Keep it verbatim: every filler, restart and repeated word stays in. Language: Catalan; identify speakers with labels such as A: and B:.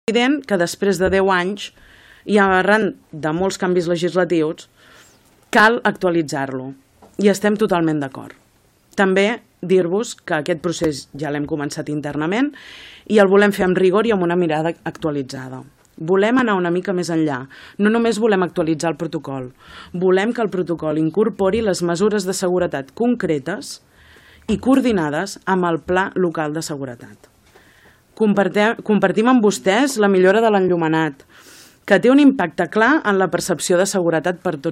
A: evident que després de deu anys i arran de molts canvis legislatius cal actualitzar-lo i estem totalment d'acord. També dir-vos que aquest procés ja l'hem començat internament i el volem fer amb rigor i amb una mirada actualitzada. Volem anar una mica més enllà. No només volem actualitzar el protocol, volem que el protocol incorpori les mesures de seguretat concretes i coordinades amb el Pla Local de Seguretat. Compartim amb vostès la millora de l'enllumenat, que té un impacte clar en la percepció de seguretat per tots